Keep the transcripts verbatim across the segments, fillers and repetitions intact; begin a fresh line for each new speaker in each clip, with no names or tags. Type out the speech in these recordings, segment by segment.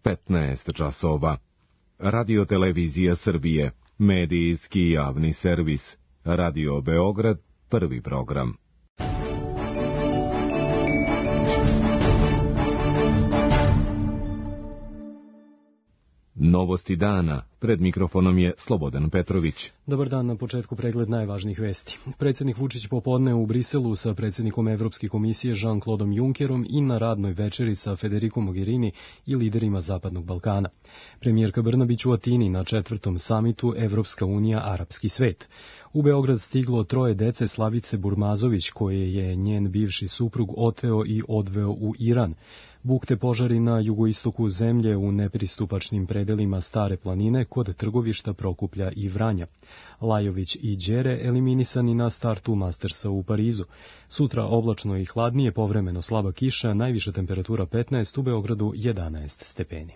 petnaest časova. Radio Televizija Srbije, medijski javni servis. Radio Beograd, prvi program. Novosti dana. Pred mikrofonom je Slobodan Petrović.
Dobar dan, na početku pregled najvažnijih vesti. Predsjednik Vučić popodne u Briselu sa predsjednikom Evropske komisije Jean-Claudeom Junckerom i na radnoj večeri sa Federico Mogherini i liderima Zapadnog Balkana. Premijerka Brnabić u Atini na četvrtom samitu Evropska unija – Arapski svet. U Beograd stiglo troje dece Slavice Burmazović, koje je njen bivši suprug oteo i odveo u Iran. Bukte požari na jugoistoku zemlje u nepristupačnim predelima Stare planine kod Trgovišta, Prokuplja i Vranja. Lajović i Đere eliminisani na startu Mastersa u Parizu. Sutra oblačno i hladnije, povremeno slaba kiša, najviša temperatura petnaest, u Beogradu jedanaest stepeni.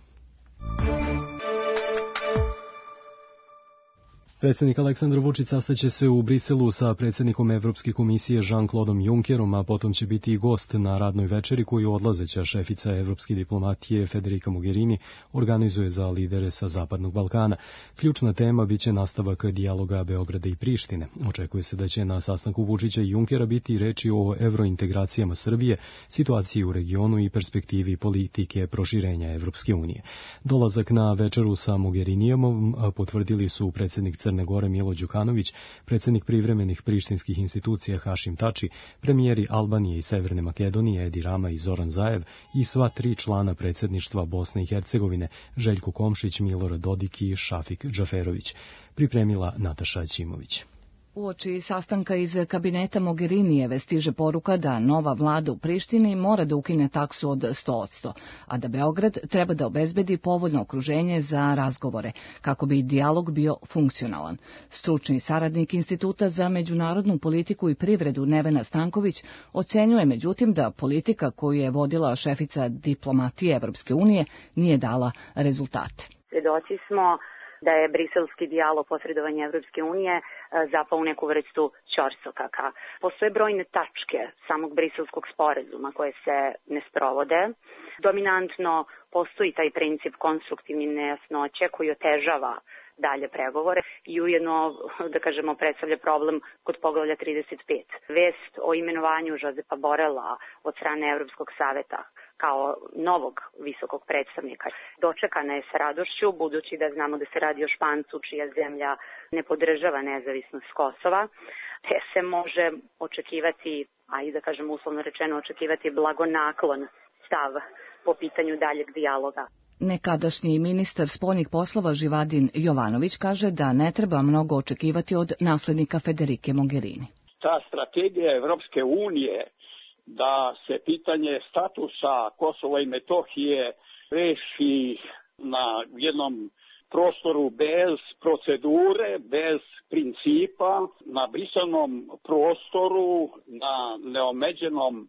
Predsjednik Aleksandar Vučić sastaće se u Briselu sa predsjednikom Evropske komisije Jean-Claudeom Junckerom, a potom će biti i gost na radnoj večeri koju odlazeća šefica evropske diplomatije Federica Mogherini organizuje za lidere sa Zapadnog Balkana. Ključna tema biće nastavak dijaloga Beograda i Prištine. Očekuje se da će na sastanku Vučića i Junckera biti reči o evrointegracijama Srbije, situaciji u regionu i perspektivi politike proširenja Evropske unije. Dolazak na večeru sa Mogherinijom potvrdili su predsjednik Crne Gore Milo Đukanović, predsjednik privremenih prištinskih institucija Hašim Tači, premijeri Albanije i Severne Makedonije Edi Rama i Zoran Zaev i sva tri člana predsjedništva Bosne i Hercegovine Željko Komšić, Milorad Dodik i Šafik Džaferović. Pripremila Nataša Ćimović.
Uoči sastanka iz kabineta Mogherinijeve stiže poruka da nova vlada u Prištini mora da ukine taksu od sto posto, a da Beograd treba da obezbedi povoljno okruženje za razgovore, kako bi dijalog bio funkcionalan. Stručni saradnik Instituta za međunarodnu politiku i privredu Nevena Stanković ocenjuje međutim da politika koju je vodila šefica diplomatije Evropske unije nije dala rezultate.
Svedoci smo da je briselski dijalog posredovanja Evropske unije zapao u neku vrstu ćorsokaka. Postoje brojne tačke samog briselskog sporazuma koje se ne sprovode. Dominantno postoji taj princip konstruktivne nejasnoće koji otežava dalje pregovore i ujedno, da kažemo, predstavlja problem kod poglavlja trideset pet. Vest o imenovanju Josepa Borela od strane Evropskog saveta kao novog visokog predstavnika dočekana je sa radošću, budući da znamo da se radi o Špancu čija zemlja ne podržava nezavisnost Kosova, te se može očekivati, a i da kažem uslovno rečeno očekivati blagonaklon stav po pitanju daljeg dijaloga.
Nekadašnji ministar spoljnih poslova Živadin Jovanović kaže da ne treba mnogo očekivati od naslednika Federike Mogherini.
Ta strategija Evropske unije da se pitanje statusa Kosova i Metohije reši na jednom prostoru bez procedure, bez principa, na brisanom prostoru, na neomeđenom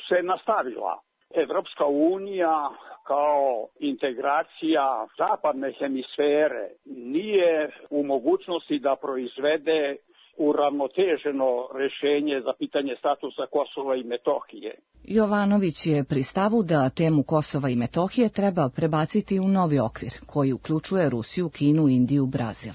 se nastavila. Evropska unija kao integracija zapadne hemisfere nije u mogućnosti da proizvede uravnoteženo rješenje za pitanje statusa Kosova i Metohije.
Jovanović je pri stavu da temu Kosova i Metohije treba prebaciti u novi okvir, koji uključuje Rusiju, Kinu, Indiju, Brazil.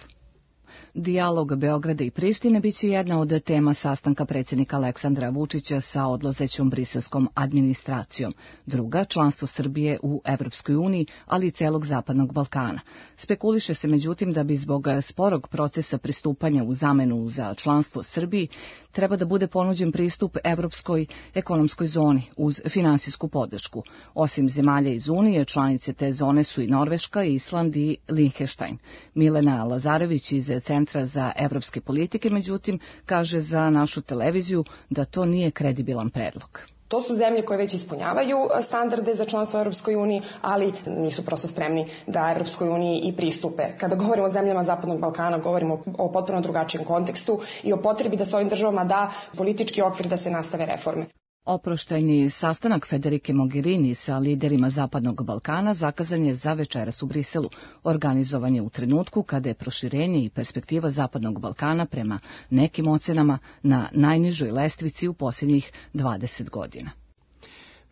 Dijalog Beograda i Prištine biće jedna od tema sastanka predsjednika Aleksandra Vučića sa odlazećom briselskom administracijom. Druga, članstvo Srbije u Evropskoj uniji, ali i celog Zapadnog Balkana. Spekuliše se međutim da bi zbog sporog procesa pristupanja u zamenu za članstvo Srbiji treba da bude ponuđen pristup Evropskoj ekonomskoj zoni uz finansijsku podršku. Osim zemalja iz Unije, članice te zone su i Norveška, Island i Linheštajn. Milena Lazarević iz Centra za evropske politike, međutim, kaže za našu televiziju da to nije kredibilan predlog.
To su zemlje koje već ispunjavaju standarde za članstvo u Europskoj uniji, ali nisu prosto spremni da Europskoj uniji i pristupe. Kada govorimo o zemljama Zapadnog Balkana, govorimo o potpuno drugačijem kontekstu i o potrebi da se ovim državama da politički okvir da se nastave reforme.
Oproštajni sastanak Federike Mogherini sa liderima Zapadnog Balkana zakazan je za večeras u Briselu. Organizovan je u trenutku kada je proširenje i perspektiva Zapadnog Balkana prema nekim ocenama na najnižoj lestvici u posljednjih dvadeset godina.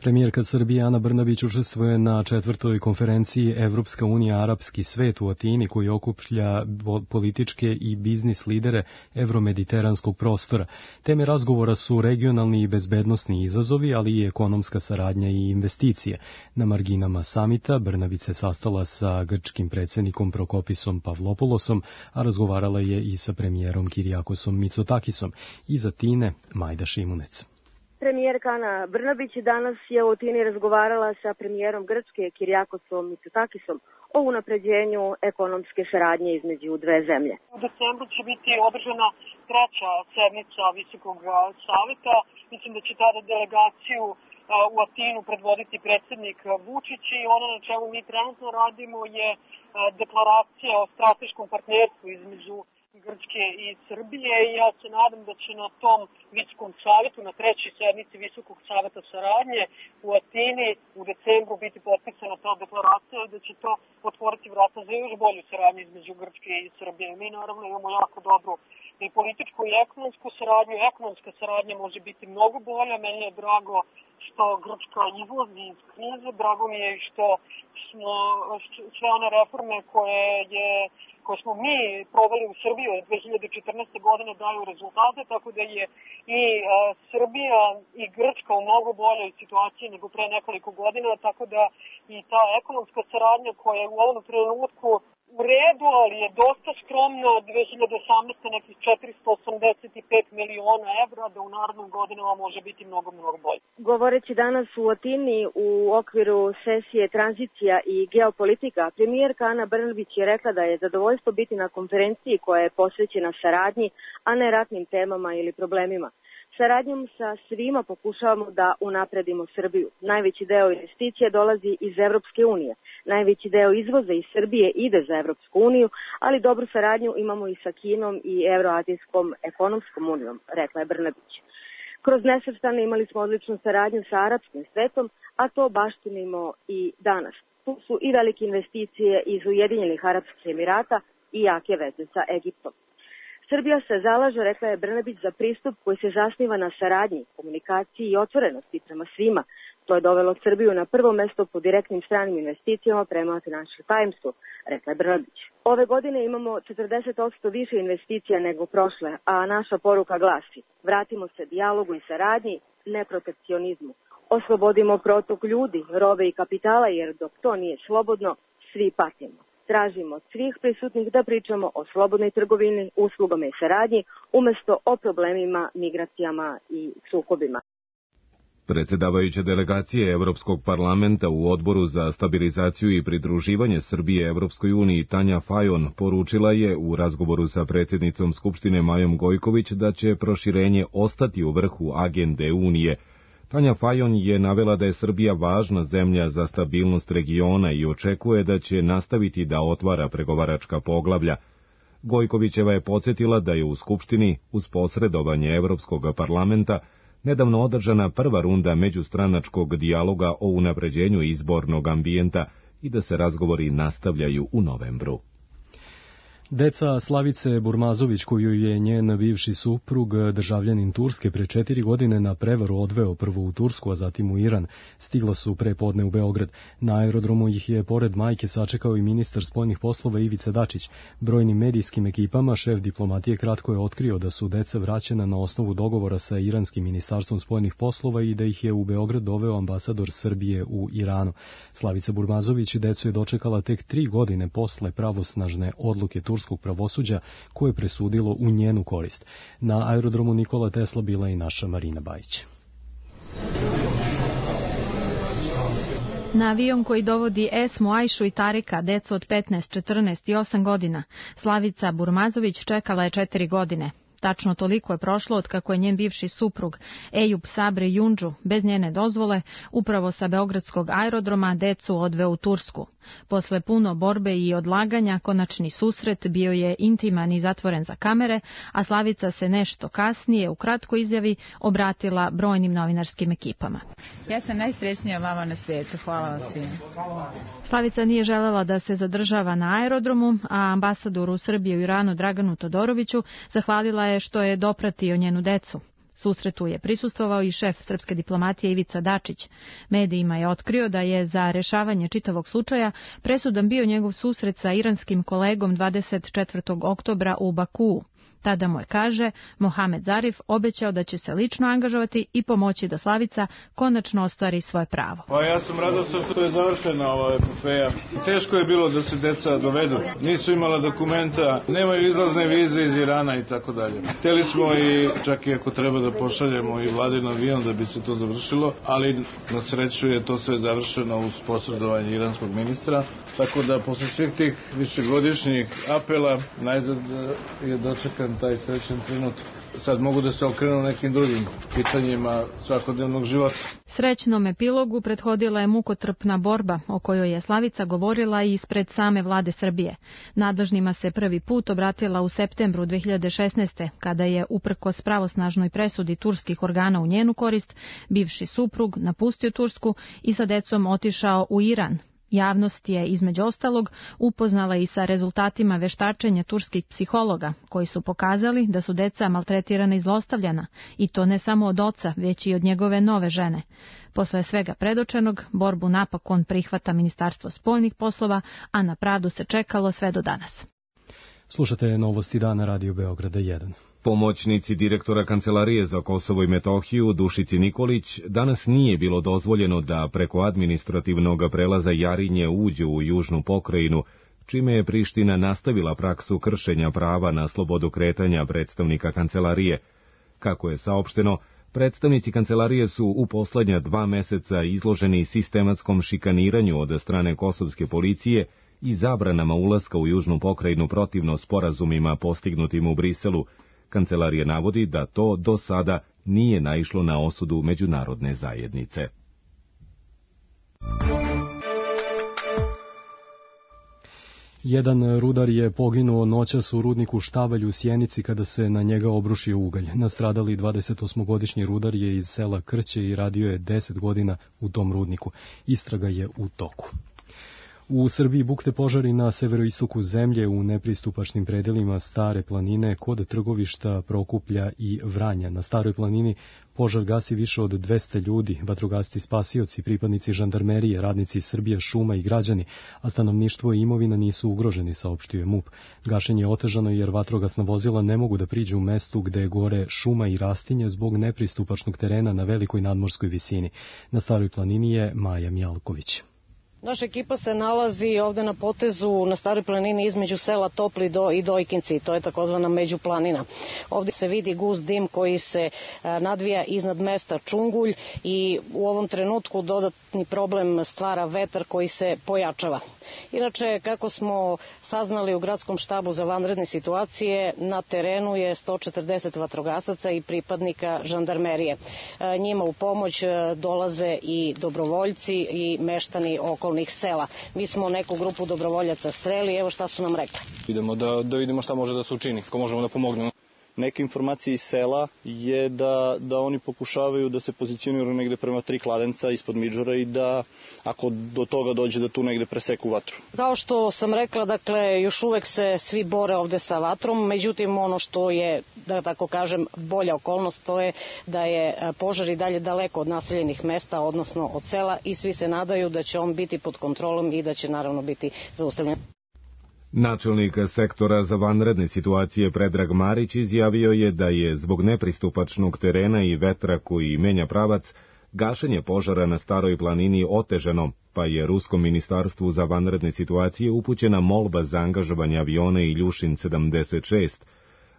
Premijerka Srbije Ana Brnabić učestvuje na četvrtoj konferenciji Evropska unija arapski svet u Atini koji okuplja političke i biznis lidere evromediteranskog prostora. Teme razgovora su regionalni i bezbednosni izazovi, ali i ekonomska saradnja i investicije. Na marginama samita Brnabić se sastala sa grčkim predsjednikom Prokopisom Pavlopoulosom, a razgovarala je i sa premijerom Kirijakosom Mitsotakisom. Iz Atine Majda Šimunec.
Premijerka Ana Brnabić danas je u Atini razgovarala sa premijerom Grčke Kirijakosom Mitsotakisom o unapređenju ekonomske saradnje između dve zemlje.
U decembru će biti održana treća sednica Visokog saveta. Mislim da će tada delegaciju u Atinu predvoditi predsjednik Vučić i ono na čemu mi trenutno radimo je deklaracija o strateškom partnerstvu između Grčke i Srbije i ja se nadam da će na tom visokom savjetu, na trećoj sednici Visokog savjeta saradnje u Atini u decembru biti potpisana ta deklaracija i da će to otvoriti vrata za još bolju saradnju između Grčke i Srbije. Mi naravno imamo jako dobru i političku i ekonomsku saradnju. Ekonomska saradnja može biti mnogo bolja. Meni je drago što Grčka izlazi iz krize, drago mi je što smo sve one reforme koje je koje smo mi proveli u Srbiji od dve hiljade četrnaeste. godine daju rezultate, tako da je i a, Srbija i Grčka u mnogo boljoj situaciji nego pre nekoliko godina, tako da i ta ekonomska saradnja koja je u ovom trenutku u redu, ali je dosta skromna, dve hiljade osamnaeste. nekih četiristo osamdeset pet miliona evra, da u narednim godinama može biti mnogo, mnogo bolje.
Govoreći danas u Atini u okviru sesije tranzicija i geopolitika, premijerka Ana Brnabić je rekla da je zadovoljstvo biti na konferenciji koja je posvećena saradnji, a ne ratnim temama ili problemima. Saradnjom sa svima pokušavamo da unapredimo Srbiju. Najveći deo investicija dolazi iz Evropske unije. Najveći deo izvoza iz Srbije ide za Evropsku uniju, ali dobru saradnju imamo i sa Kinom i Evroazijskom ekonomskom unijom, rekla je Brnabić. Kroz nesvrstane imali smo odličnu saradnju sa arapskim svetom, a to baštinimo i danas. Tu su i velike investicije iz Ujedinjenih Arapskih Emirata i jake veze sa Egiptom. Srbija se zalaže, rekla je Brnabić, za pristup koji se zasniva na saradnji, komunikaciji i otvorenosti prema svima. To je dovelo Srbiju na prvo mesto po direktnim stranim investicijama prema Financial Timesu, rekla je Brnabić. Ove godine imamo četrdeset posto više investicija nego prošle, a naša poruka glasi: vratimo se dijalogu i saradnji, ne protekcionizmu. Oslobodimo protok ljudi, robe i kapitala, jer dok to nije slobodno, svi patimo. Tražimo od svih prisutnih da pričamo o slobodnoj trgovini, uslugama i saradnji, umjesto o problemima, migracijama i sukobima.
Predsjedavajuća delegacije Evropskog parlamenta u Odboru za stabilizaciju i pridruživanje Srbije Evropskoj uniji Tanja Fajon poručila je u razgovoru sa predsjednicom Skupštine Majom Gojković da će proširenje ostati u vrhu agende Unije. Tanja Fajon je navela da je Srbija važna zemlja za stabilnost regiona i očekuje da će nastaviti da otvara pregovaračka poglavlja. Gojkovićeva je podsjetila da je u Skupštini, uz posredovanje Evropskog parlamenta, nedavno održana prva runda međustranačkog dijaloga o unapređenju izbornog ambijenta i da se razgovori nastavljaju u novembru.
Deca Slavice Burmazović, koju je njen bivši suprug, državljanin Turske, pre četiri godine na prevaru odveo prvo u Tursku, a zatim u Iran, stigla su pre podne u Beograd. Na aerodromu ih je pored majke sačekao i ministar spoljnih poslova Ivica Dačić. Brojnim medijskim ekipama šef diplomatije kratko je otkrio da su deca vraćena na osnovu dogovora sa iranskim ministarstvom spoljnih poslova i da ih je u Beograd doveo ambasador Srbije u Iranu. Slavica Burmazović decu je dočekala tek tri godine posle pravosnažne odluke Turske turskog pravosuđa koje je presudilo u njenu korist. Na aerodromu Nikola Tesla bila i naša Marina Bajić.
Na avion koji dovodi Esmu, Ajšu i Tarika, decu od petnaest, četrnaest i osam godina, Slavica Burmazović čekala je četiri godine. Tačno toliko je prošlo od kako je njen bivši suprug Ejub Sabri Jundžu bez njene dozvole upravo sa beogradskog aerodroma decu odveo u Tursku. Posle puno borbe i odlaganja konačni susret bio je intiman i zatvoren za kamere, a Slavica se nešto kasnije u kratkoj izjavi obratila brojnim novinarskim ekipama.
Ja sam najsrećnija mama na svijetu, hvala vam svima.
Slavica nije želela da se zadržava na aerodromu, a ambasadoru Srbije u Iranu Draganu Todoroviću zahvalila je što je dopratio njenu decu. Susretu je prisustvovao i šef srpske diplomatije Ivica Dačić. Medijima je otkrio da je za rešavanje čitavog slučaja presudan bio njegov susret sa iranskim kolegom dvadeset četvrtog oktobra u Bakuu. Tada mu je, kaže, Mohamed Zarif obećao da će se lično angažovati i pomoći da Slavica konačno ostvari svoje pravo.
Pa ja sam radostan što je završena ova epopea. Teško je bilo da se deca dovedu. Nisu imala dokumenta, nemaju izlazne vize iz Irana i tako dalje. Hteli smo i čak i ako treba da pošaljemo i vladin avion da bi se to završilo, ali na sreću je to sve završeno uz posredovanje iranskog ministra. Tako da posle svih tih višegodišnjih apela najzad je dočekan taj srećan trenutak. Sad mogu da se okrenu nekim drugim pitanjima svakodnevnog života.
Srećnom epilogu prethodila je mukotrpna borba o kojoj je Slavica govorila i ispred same vlade Srbije. Nadležnima se prvi put obratila u septembru dve hiljade šesnaeste. kada je, uprkos pravosnažnoj presudi turskih organa u njenu korist, bivši suprug napustio Tursku i sa decom otišao u Iran. Javnost je, između ostalog, upoznala i sa rezultatima veštačenja turskih psihologa, koji su pokazali da su deca maltretirana i zlostavljana, i to ne samo od oca, već i od njegove nove žene. Posle svega predočenog, borbu napokon prihvata Ministarstvo spoljnih poslova, a na pravdu se čekalo sve do danas.
Slušate Novosti dana Radio Beograda jedan.
Pomoćnici direktora Kancelarije za Kosovo i Metohiju Dušici Nikolić danas nije bilo dozvoljeno da preko administrativnog prelaza Jarinje uđu u južnu pokrajinu, čime je Priština nastavila praksu kršenja prava na slobodu kretanja predstavnika Kancelarije. Kako je saopšteno, predstavnici Kancelarije su u poslednja dva meseca izloženi sistematskom šikaniranju od strane kosovske policije i zabranama ulaska u južnu pokrajinu protivno sporazumima postignutim u Briselu. Kancelarija navodi da to do sada nije naišlo na osudu međunarodne zajednice.
Jedan rudar je poginuo noćas u rudniku Štavalj u Sjenici kada se na njega obrušio ugalj. Nastradali dvadesetosmogodišnji rudar je iz sela Krće i radio je deset godina u tom rudniku. Istraga je u toku. U Srbiji bukte požari na severoistoku zemlje u nepristupačnim predelima Stare planine kod Trgovišta, Prokuplja i Vranja. Na Staroj planini požar gasi više od dvesta ljudi, vatrogasci spasioci, pripadnici žandarmerije, radnici Srbije šuma i građani, a stanovništvo i imovina nisu ugroženi, saopštio je MUP. Gašenje je otežano jer vatrogasna vozila ne mogu da priđu u mestu gde gore šuma i rastinje zbog nepristupačnog terena na velikoj nadmorskoj visini. Na Staroj planini je Maja Mjalković.
Naša ekipa se nalazi ovde na potezu na Staroj planini između sela Topli do i Dojkinci, to je takozvana međuplanina. Ovde se vidi gust dim koji se nadvija iznad mesta Čungulj i u ovom trenutku dodatni problem stvara vetar koji se pojačava. Inače, kako smo saznali u gradskom štabu za vanredne situacije, na terenu je sto četrdeset vatrogasaca i pripadnika žandarmerije. Njima u pomoć dolaze i dobrovoljci i meštani okolnih sela. Mi smo neku grupu dobrovoljaca sreli, evo šta su nam rekli.
Idemo da, da vidimo šta može da se učini, ko možemo da pomognemo. Neke informacije iz sela je da, da oni pokušavaju da se pozicioniraju negde prema tri kladenca ispod Midžora i da ako do toga dođe da tu negde preseku vatru.
Kao što sam rekla, dakle, još uvek se svi bore ovde sa vatrom, međutim ono što je, da tako kažem, bolja okolnost, to je da je požar i dalje daleko od naseljenih mesta, odnosno od sela, i svi se nadaju da će on biti pod kontrolom i da će naravno biti zaustavljen.
Načelnik sektora za vanredne situacije Predrag Marić izjavio je da je zbog nepristupačnog terena i vetra koji menja pravac, gašenje požara na Staroj planini otežano, pa je Ruskom ministarstvu za vanredne situacije upućena molba za angažovanje aviona Iljušin sedamdeset šest.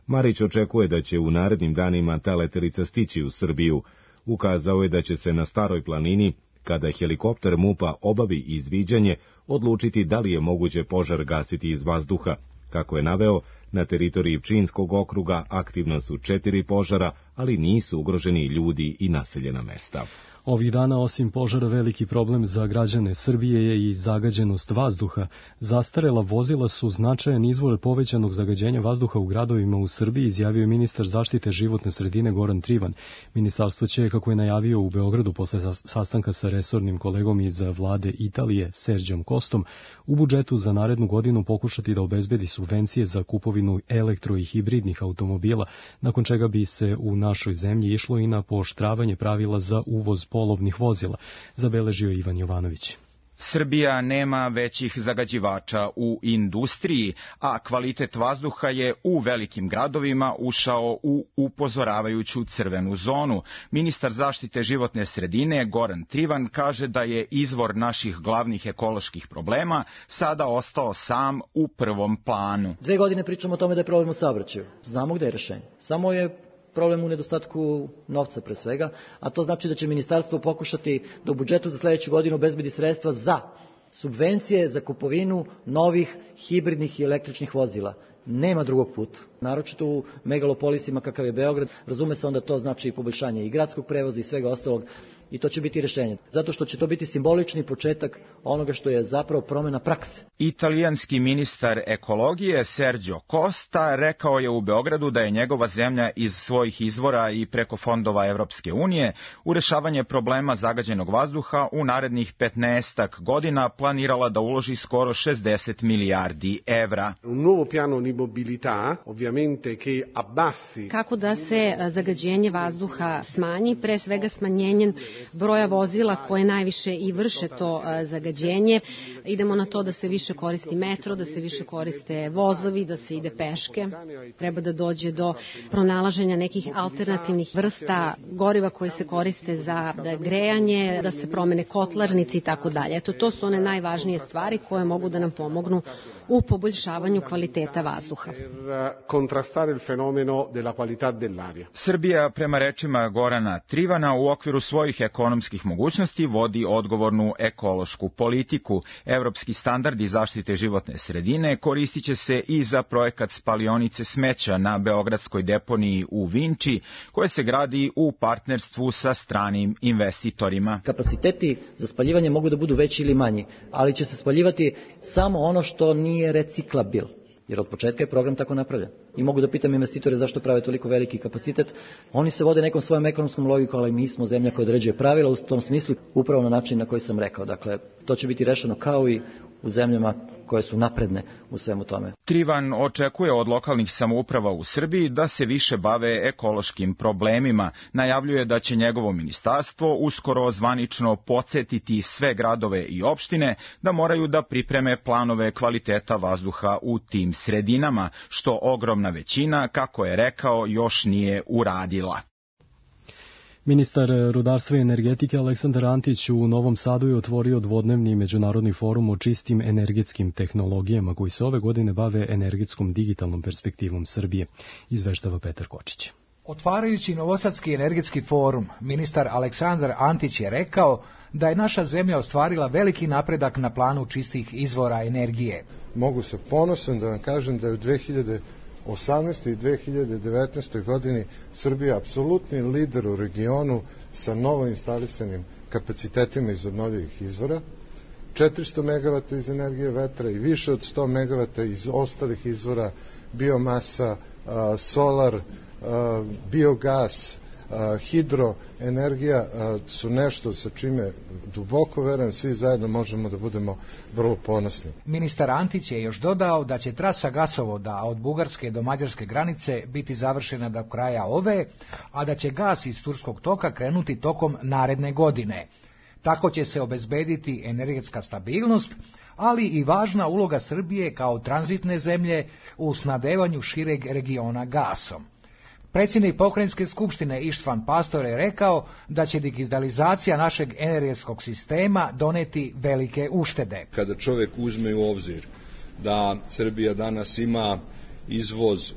Marić očekuje da će u narednim danima ta letelica stići u Srbiju. Ukazao je da će se na Staroj planini, kada helikopter MUP-a obavi izviđanje, odlučiti da li je moguće požar gasiti iz vazduha. Kako je naveo, na teritoriji Pčinjskog okruga aktivna su četiri požara, ali nisu ugroženi ljudi i naseljena mesta.
Ovih dana, osim požara, veliki problem za građane Srbije je i zagađenost vazduha. Zastarela vozila su značajan izvor povećanog zagađenja vazduha u gradovima u Srbiji, izjavio je ministar zaštite životne sredine Goran Trivan. Ministarstvo će, kako je najavio u Beogradu posle sastanka sa resornim kolegom iz vlade Italije, Serđom Kostom, u budžetu za narednu godinu pokušati da obezbedi subvencije za kupovinu elektro i hibridnih automobila, nakon čega bi se u našoj zemlji išlo i na pooštravanje pravila za uvoz polovnih vozila, zabeležio Ivan Jovanović.
Srbija nema većih zagađivača u industriji, a kvalitet vazduha je u velikim gradovima ušao u upozoravajuću crvenu zonu. Ministar zaštite životne sredine Goran Trivan kaže da je izvor naših glavnih ekoloških problema sada ostao sam u prvom planu.
Dve godine pričamo o tome da je problem u saobraćaju. Znamo gde je rešenje. Samo je problem u nedostatku novca pre svega, a to znači da će ministarstvo pokušati da u budžetu za sledeću godinu obezbedi sredstva za subvencije za kupovinu novih hibridnih i električnih vozila. Nema drugog puta. Naročito u megalopolisima kakav je Beograd, razume se onda to znači i poboljšanje i gradskog prevoza i svega ostalog, i to će biti rešenje. Zato što će to biti simbolični početak onoga što je zapravo promena prakse.
Italijanski ministar ekologije Sergio Costa rekao je u Beogradu da je njegova zemlja iz svojih izvora i preko fondova Evropske unije u rešavanje problema zagađenog vazduha u narednih petnaestak godina planirala da uloži skoro šezdeset milijardi evra.
Un nuovo piano di mobilità, ovviamente che abbassi.
Kako da se zagađenje vazduha smanji, pre svega smanjenjem broja vozila koje najviše i vrše to zagađenje. Idemo na to da se više koristi metro, da se više koriste vozovi, da se ide peške. Treba da dođe do pronalaženja nekih alternativnih vrsta goriva koje se koriste za grejanje, da se promene kotlarnici i tako dalje. Eto, to su one najvažnije stvari koje mogu da nam pomognu u poboljšavanju kvaliteta vazduha.
Contrastare il fenomeno della qualità dell'aria.
Srbija, prema rečima Gorana Trivana, u okviru svojih ekonomskih mogućnosti vodi odgovornu ekološku politiku. Evropski standardi zaštite životne sredine koristit će se i za projekat spalionice smeća na beogradskoj deponiji u Vinči, koje se gradi u partnerstvu sa stranim investitorima.
Kapaciteti za spaljivanje mogu da budu veći ili manji, ali će se spaljivati samo ono što nije reciklabil. Jer od početka je program tako napravljen. I mogu da pitam investitore zašto prave toliko veliki kapacitet. Oni se vode nekom svojom ekonomskom logikom, ali mi smo zemlja koja određuje pravila u tom smislu, upravo na način na koji sam rekao. Dakle, to će biti rešeno kao i u zemljama koje su napredne u svemu tome.
Trivan očekuje od lokalnih samouprava u Srbiji da se više bave ekološkim problemima. Najavljuje da će njegovo ministarstvo uskoro zvanično podsjetiti sve gradove i opštine da moraju da pripreme planove kvaliteta vazduha u tim sredinama, što ogromna većina, kako je rekao, još nije uradila.
Ministar rudarstva i energetike Aleksandar Antić u Novom Sadu je otvorio dvodnevni međunarodni forum o čistim energetskim tehnologijama koji se ove godine bave energetskom digitalnom perspektivom Srbije, izveštava Petar Kočić.
Otvarajući Novosadski energetski forum, ministar Aleksandar Antić je rekao da je naša zemlja ostvarila veliki napredak na planu čistih izvora energije.
Mogu se ponosan da vam kažem da je u dve hiljade osamnaestoj i dve hiljade devetnaestoj godini Srbija apsolutni lider u regionu sa novo instalisanim kapacitetima iz obnovljivih izvora, četiristo megavata iz energije vetra i više od sto megavata iz ostalih izvora, biomasa, solar, biogas, hidroenergija su nešto sa čime duboko verujem svi zajedno možemo da budemo vrlo ponosni.
Ministar Antić je još dodao da će trasa gasovoda od Bugarske do Mađarske granice biti završena do kraja ove, a da će gas iz Turskog toka krenuti tokom naredne godine. Tako će se obezbediti energetska stabilnost, ali i važna uloga Srbije kao tranzitne zemlje u snabdevanju šireg regiona gasom. Predsjednik Pokrajinske skupštine Ištvan Pastor je rekao da će digitalizacija našeg energetskog sistema doneti velike uštede.
Kada čovjek uzme u obzir da Srbija danas ima izvoz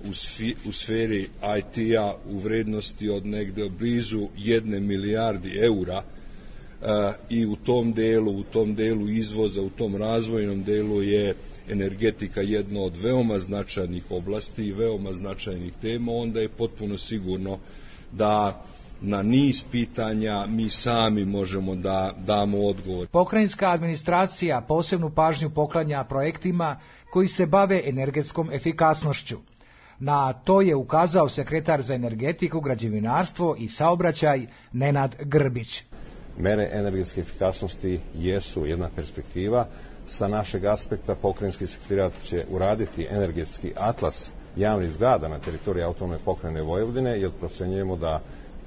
u sferi I T-a u vrednosti od negde blizu jedne milijardi eura i u tom delu, u tom delu izvoza, u tom razvojnom delu je energetika jedna od veoma značajnih oblasti i veoma značajnih tema, onda je potpuno sigurno da na niz pitanja mi sami možemo da damo odgovor.
Pokrajinska administracija posebnu pažnju poklanja projektima koji se bave energetskom efikasnošću. Na to je ukazao sekretar za energetiku, građevinarstvo i saobraćaj Nenad Grbić.
Mere energetske efikasnosti jesu jedna perspektiva. Sa našeg aspekta pokrajinski sekretarijat će uraditi energetski atlas javnih zgrada na teritoriji autonomne pokrajine Vojvodine, jer procenjujemo da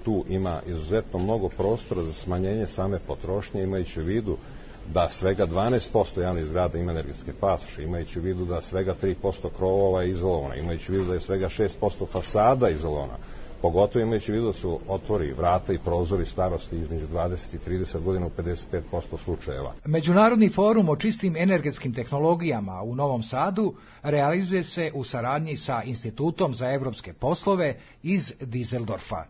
tu ima izuzetno mnogo prostora za smanjenje same potrošnje, imajući u vidu da svega dvanaest posto javnih zgrada ima energetske pasoše, imajući u vidu da svega tri posto krovova je izolovana, imajući u vidu da je svega šest posto fasada izolovana, pogotovo imajući u vidu da su otvori vrata i prozori starosti između dvadeset i trideset godina u pedeset pet posto slučajeva.
Međunarodni forum o čistim energetskim tehnologijama u Novom Sadu realizuje se u saradnji sa Institutom za evropske poslove iz Dizeldorfa.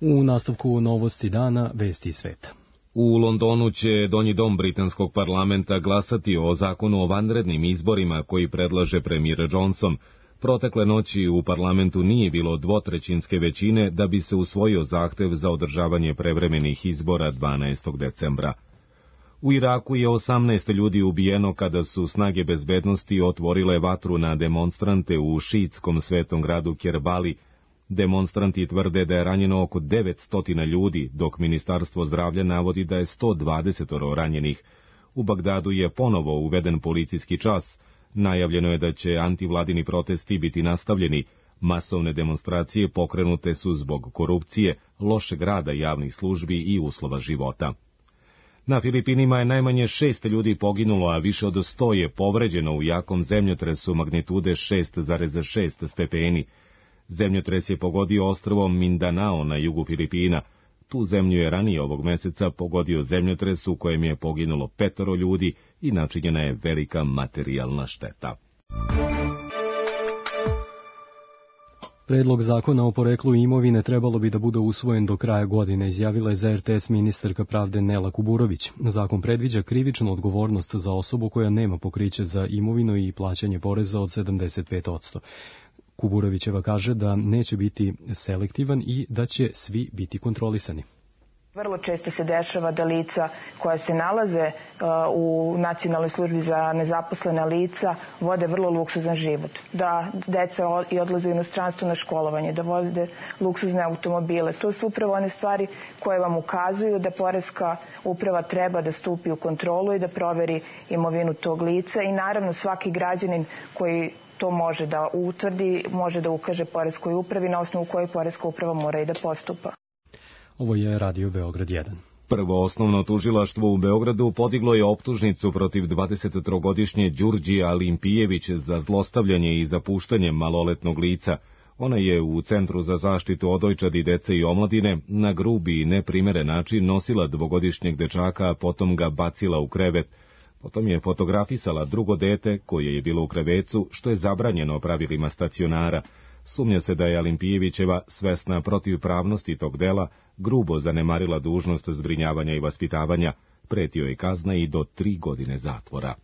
U nastavku novosti dana, vesti sveta.
U Londonu će Donji dom britanskog parlamenta glasati o zakonu o vanrednim izborima koji predlaže premijer Johnson. Protekle noći u parlamentu nije bilo dvotrećinske većine da bi se usvojio zahtev za održavanje prevremenih izbora dvanaestog decembra. U Iraku je osamnaest ljudi ubijeno kada su snage bezbednosti otvorile vatru na demonstrante u šiitskom svetom gradu Kerbali. Demonstranti tvrde da je ranjeno oko devetsto ljudi, dok Ministarstvo zdravlja navodi da je sto dvadeset ranjenih. U Bagdadu je ponovo uveden policijski čas. Najavljeno je da će antivladini protesti biti nastavljeni. Masovne demonstracije pokrenute su zbog korupcije, lošeg rada javnih službi i uslova života. Na Filipinima je najmanje šest ljudi poginulo, a više od sto je povređeno u jakom zemljotresu magnitude šest zarez šest stepeni. Zemljotres je pogodio ostrvo Mindanao na jugu Filipina. Tu zemlju je ranije ovog meseca pogodio zemljotres u kojem je poginulo petoro ljudi i načinjena je velika materijalna šteta.
Predlog zakona o poreklu imovine trebalo bi da bude usvojen do kraja godine, izjavila je za er te es ministarka pravde Nela Kuburović. Zakon predviđa krivičnu odgovornost za osobu koja nema pokriće za imovinu i plaćanje poreza od sedamdeset pet posto. Kuburovićeva kaže da neće biti selektivan i da će svi biti kontrolisani.
Vrlo često se dešava da lica koja se nalaze u Nacionalnoj službi za nezaposlena lica vode vrlo luksuzan život. Da deca i odlaze u inostranstvo na školovanje, da vode luksuzne automobile. To su upravo one stvari koje vam ukazuju da poreska uprava treba da stupi u kontrolu i da proveri imovinu tog lica i naravno svaki građanin koji to može da utvrdi, može da ukaže poreskoj upravi na osnovu koje poreska uprava mora i da postupa.
Ovo je Radio Beograd jedan.
Prvo osnovno tužilaštvo u Beogradu podiglo je optužnicu protiv dvadesettrogodišnje Đurđija Limpijević za zlostavljanje i zapuštanje maloletnog lica. Ona je u Centru za zaštitu odojčadi, dece i omladine na grubi i neprimeren način nosila dvogodišnjeg dečaka, a potom ga bacila u krevet. Potom je fotografisala drugo dete koje je bilo u krevecu, što je zabranjeno pravilima stacionara. Sumnja se da je Alimpijevićeva, svesna protivpravnosti tog dela, grubo zanemarila dužnost zbrinjavanja i vaspitavanja. Pretio je kazna i do tri godine zatvora.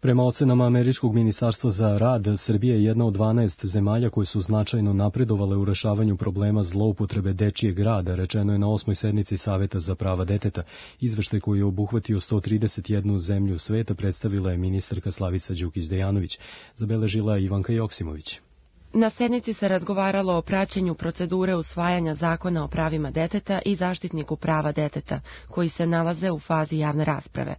Prema ocenama Američkog ministarstva za rad, Srbija je jedna od dvanaest zemalja koje su značajno napredovale u rešavanju problema zloupotrebe dečijeg rada, rečeno je na osmoj sednici Saveta za prava deteta. Izveštaj koji je obuhvatio sto trideset jednu zemlju sveta predstavila je ministarka Slavica Đukić-Dejanović. Zabeležila je Ivanka Joksimović.
Na sednici se razgovaralo o praćenju procedure usvajanja zakona o pravima deteta i zaštitniku prava deteta, koji se nalaze u fazi javne rasprave.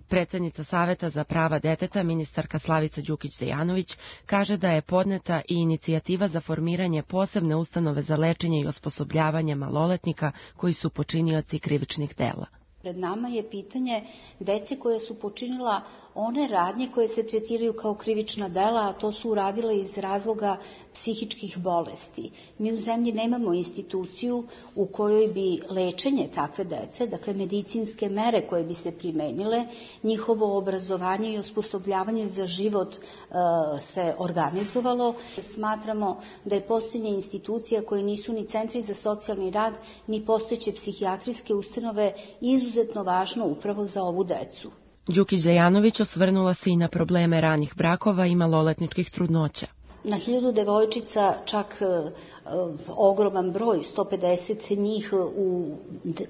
Predsednica Saveta za prava deteta, ministarka Slavica Đukić-Dejanović, kaže da je podneta i inicijativa za formiranje posebne ustanove za lečenje i osposobljavanje maloletnika koji su počinioci krivičnih dela.
Pred nama je pitanje dece koje su počinila one radnje koje se tretiraju kao krivična dela, a to su uradile iz razloga psihičkih bolesti. Mi u zemlji nemamo instituciju u kojoj bi lečenje takve dece, dakle medicinske mere koje bi se primenile, njihovo obrazovanje i osposobljavanje za život e, se organizovalo. Smatramo da je postojanje institucija koje nisu ni centri za socijalni rad, ni postojeće psihijatrijske ustanove izuzetno važno upravo za ovu decu.
Đukić-Dejanović osvrnula se i na probleme ranih brakova i maloletničkih trudnoća.
Na hiljadu devojčica čak ogroman broj, sto pedeset njih u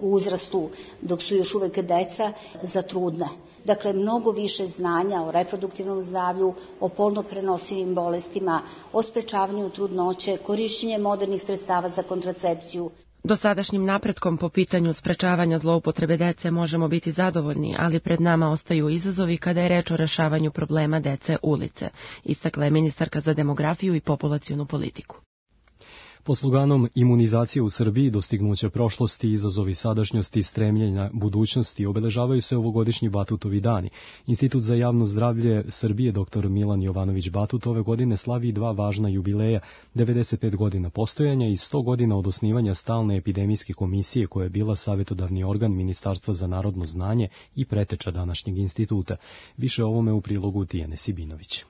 uzrastu dok su još uvek deca, za trudne. Dakle, mnogo više znanja o reproduktivnom zdravlju, o polno prenosivim bolestima, o sprečavanju trudnoće, korišćenje modernih sredstava za kontracepciju.
Dosadašnjim napretkom po pitanju sprečavanja zloupotrebe dece možemo biti zadovoljni, ali pred nama ostaju izazovi kada je reč o rešavanju problema dece ulice, istakla je ministarka za demografiju i populacionu politiku.
Po sloganom imunizacije u Srbiji, dostignuća prošlosti, izazovi sadašnjosti i stremljenja budućnosti obeležavaju se ovogodišnji Batutovi dani. Institut za javno zdravlje Srbije dr Milan Jovanović Batut ove godine slavi dva važna jubileja, devedeset pet godina postojanja i sto godina od osnivanja stalne epidemijske komisije koja je bila savjetodavni organ Ministarstva za narodno znanje i preteča današnjeg instituta. Više o ovome u prilogu Tijane Sibinović.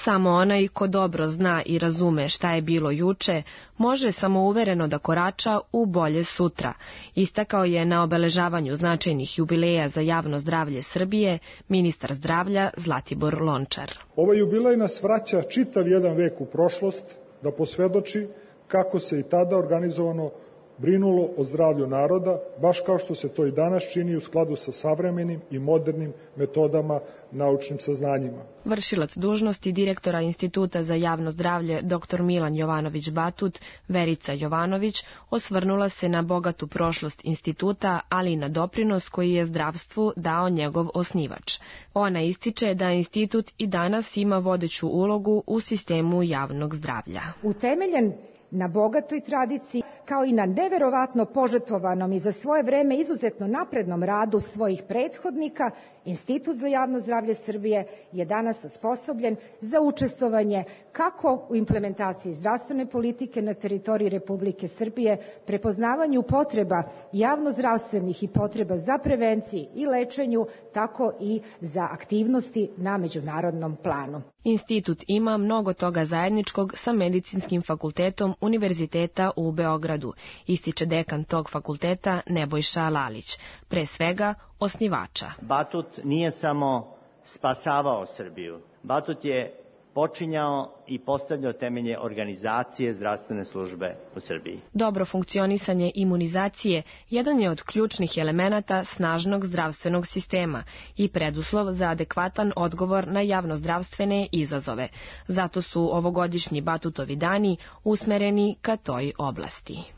Samo onaj ko dobro zna i razume šta je bilo juče, može samouvereno da korača u bolje sutra, istakao je na obeležavanju značajnih jubileja za javno zdravlje Srbije ministar zdravlja Zlatibor Lončar.
Ovaj jubilej nas vraća čitav jedan vek u prošlost da posvedoči kako se i tada organizovano brinulo o zdravlju naroda, baš kao što se to i danas čini u skladu sa savremenim i modernim metodama, naučnim saznanjima.
Vršilac dužnosti direktora Instituta za javno zdravlje dr Milan Jovanović Batut, Verica Jovanović, osvrnula se na bogatu prošlost instituta, ali i na doprinos koji je zdravstvu dao njegov osnivač. Ona ističe da institut i danas ima vodeću ulogu u sistemu javnog zdravlja.
Utemeljen na bogatoj tradiciji, kao i na neverovatno požrtvovanom i za svoje vreme izuzetno naprednom radu svojih prethodnika, Institut za javno zdravlje Srbije je danas osposobljen za učestvovanje kako u implementaciji zdravstvene politike na teritoriji Republike Srbije, prepoznavanju potreba javnozdravstvenih i potreba za prevenciji i lečenju, tako i za aktivnosti na međunarodnom planu.
Institut ima mnogo toga zajedničkog sa Medicinskim fakultetom Univerziteta u Beogradu, ističe dekan tog fakulteta Nebojša Lalić, pre svega osnivača.
Batut nije samo spasavao Srbiju, Batut je počinjao i postavljao temelje organizacije zdravstvene službe u Srbiji.
Dobro funkcionisanje imunizacije jedan je od ključnih elemenata snažnog zdravstvenog sistema i preduslov za adekvatan odgovor na javnozdravstvene izazove. Zato su ovogodišnji Batutovi dani usmereni ka toj oblasti.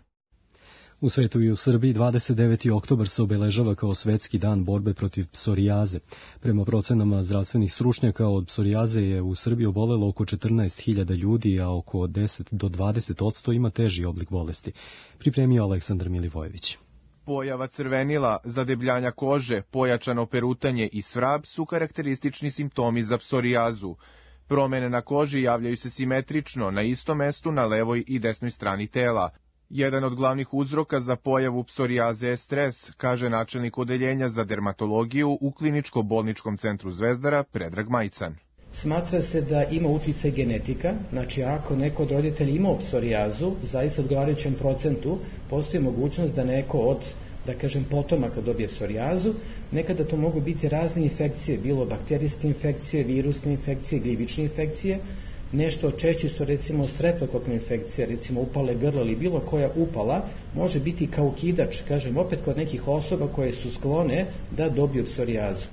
U svetu i u Srbiji dvadeset deveti oktobar se obeležava kao svetski dan borbe protiv psorijaze. Prema procenama zdravstvenih stručnjaka od psorijaze je u Srbiji obolelo oko četrnaest hiljada ljudi, a oko deset do dvadeset posto ima teži oblik bolesti. Pripremio Aleksandar Milivojević.
Pojava crvenila, zadebljanja kože, pojačano perutanje i svrab su karakteristični simptomi za psorijazu. Promene na koži javljaju se simetrično na istom mestu na levoj i desnoj strani tela. Jedan od glavnih uzroka za pojavu psorijaze je stres, kaže načelnik odeljenja za dermatologiju u kliničko-bolničkom centru Zvezdara Predrag Majcan.
Smatra se da ima uticaj genetika, znači ako neko od roditelja ima psorijazu, zaista odgovarajućem procentu postoji mogućnost da neko od, da kažem, potomaka dobije psorijazu. Nekada to mogu biti razne infekcije, bilo bakterijske infekcije, virusne infekcije, gljivične infekcije. Nešto češće su recimo streptokokne infekcije, recimo upale grla ili bilo koja upala, može biti kao ukidač, kažem opet kod nekih osoba koje su sklone da dobiju psorijazu.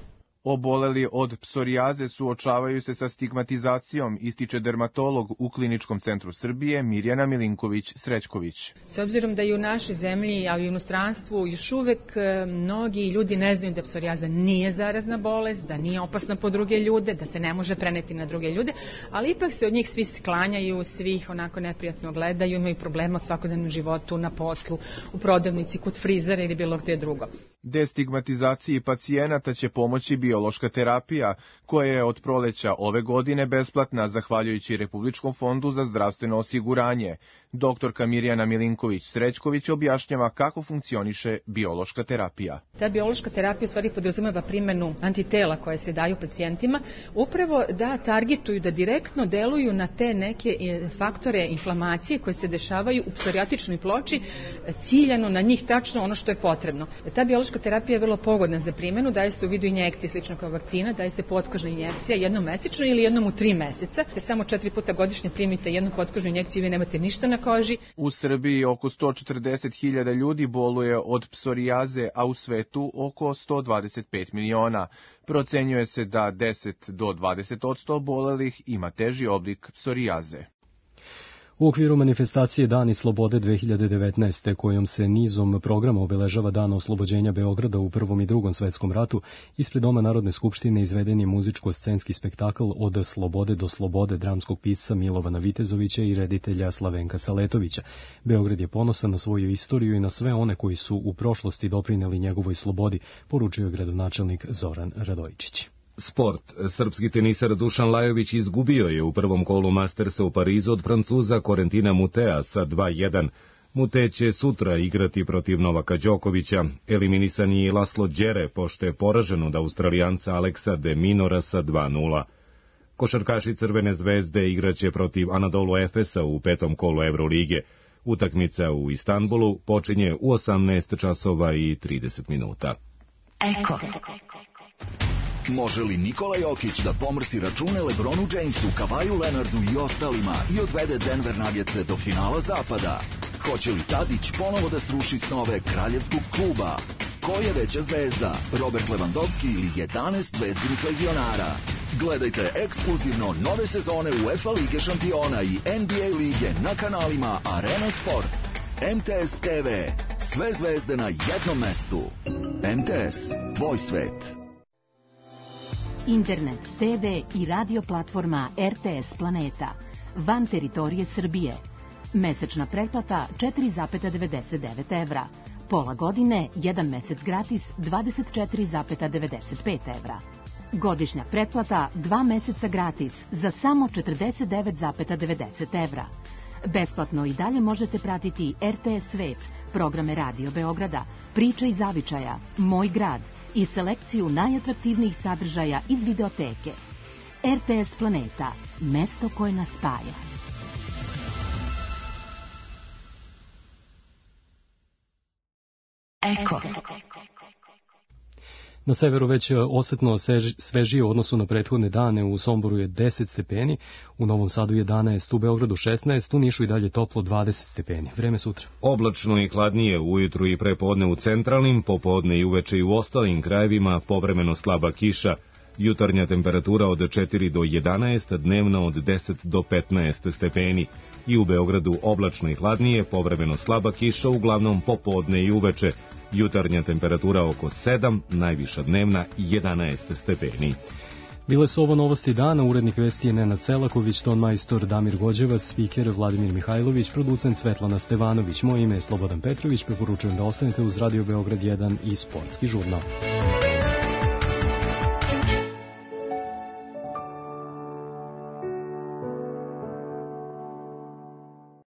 Oboleli od psorijaze suočavaju se sa stigmatizacijom, ističe dermatolog u Kliničkom centru Srbije Mirjana Milinković-Srećković.
S obzirom da i u našoj zemlji, ali i u inostranstvu, još uvek mnogi ljudi ne znaju da psorijaza nije zarazna bolest, da nije opasna po druge ljude, da se ne može preneti na druge ljude, ali ipak se od njih svi sklanjaju, svi ih onako neprijatno gledaju, imaju problema u svakodnevnom životu, na poslu, u prodavnici, kod frizera ili bilo gde drugo.
Destigmatizaciji pacijenata će pomoći biološka terapija, koja je od proleća ove godine besplatna zahvaljujući Republičkom fondu za zdravstveno osiguranje. Doktorka Mirjana Milinković-Srećković objašnjava kako funkcioniše biološka terapija.
Ta biološka terapija u stvari podrazumeva primjenu antitela koje se daju pacijentima, upravo da targetuju, da direktno deluju na te neke faktore inflamacije koje se dešavaju u psorijatičnoj ploči, ciljano na njih tačno ono što je potrebno. Ta biološka terapija je vrlo pogodna za primjenu, daje se u vidu injekcije slično kao vakcina, daje se potkožna injekcija jednom mesečno ili jednom u tri meseca. Te samo četiri puta godišnje primite jednu potkožnu injekciju i vi nemate ništa na koži.
U Srbiji oko sto četrdeset hiljada ljudi boluje od psorijaze, a u svetu oko sto dvadeset pet miliona. Procenjuje se da deset do dvadeset odsto obolelih ima teži oblik psorijaze.
U okviru manifestacije Dani slobode dve hiljade devetnaeste, kojom se nizom programa obeležava dan oslobođenja Beograda u Prvom i Drugom svetskom ratu, ispred Doma Narodne skupštine izveden je muzičko-scenski spektakl Od slobode do slobode dramskog pisca Milovana Vitezovića i reditelja Slavenka Saletovića. Beograd je ponosan na svoju istoriju i na sve one koji su u prošlosti doprineli njegovoj slobodi, poručio je gradonačelnik Zoran Radojičić.
Sport. Srpski tenisar Dušan Lajović izgubio je u prvom kolu Mastersa u Parizu od Francuza Corentina Mutea sa dva jedan. Mute će sutra igrati protiv Novaka Đokovića. Eliminisan je i Laslo Đere, pošto je poražen od Australijanca Aleksa de Minora sa dva nula. Košarkaši Crvene zvezde igraće protiv Anadolu Efesa u petom kolu Evrolige. Utakmica u Istanbulu počinje u osamnaest časova i trideset minuta.
Eko. Može li Nikola Jokić da pomrsi račune LeBronu Jamesu, Kavaju Leonardu i ostalima i odvede Denver Nuggetse do finala zapada? Hoće li Tadić ponovo da sruši snove kraljevskog kluba? Ko je veća zvezda, Robert Lewandowski ili jedanaest zvezdinih legionara? Gledajte ekskluzivno nove sezone UEFA Lige šampiona i N B A lige na kanalima Arena Sport. M T S T V. Sve zvezde na jednom mestu. M T S. Tvoj svet.
Internet, te ve i radio platforma R T S Planeta. Van teritorije Srbije. Mesečna pretplata četiri zarez devedeset devet evra. Pola godine, jedan mesec gratis, dvadeset četiri zarez devedeset pet evra. Godišnja pretplata, dva meseca gratis, za samo četrdeset devet zarez devedeset evra. Besplatno i dalje možete pratiti R T S Svet, programe Radio Beograda, Priče iz Zavičaja, Moj grad i selekciju najatraktivnijih sadržaja iz videoteke. R T S Planeta, mesto koje nas spaja. Eko.
Na severu već osetno svežije u odnosu na prethodne dane, u Somboru je deset stepeni, u Novom Sadu jedanaest, u Beogradu šesnaest, u Nišu i dalje toplo dvadeset stepeni. Vreme sutra.
Oblačno i hladnije ujutru i prepodne u centralnim, popodne i uveče i u ostalim krajevima, povremeno slaba kiša. Jutarnja temperatura od četiri do jedanaest, dnevna od deset do petnaest stepeni. I u Beogradu oblačno i hladnije, povremeno slaba kiša, uglavnom popodne i uveče. Jutarnja temperatura oko sedam, najviša dnevna jedanaest stepeni.
Bile su ovo novosti dana, urednik vesti je Nenad Selaković, ton majstor Damir Gođevac, spiker Vladimir Mihajlović, producent Svetlana Stevanović. Moje ime je Slobodan Petrović, preporučujem da ostanete uz Radio Beograd jedan i Sportski žurnal.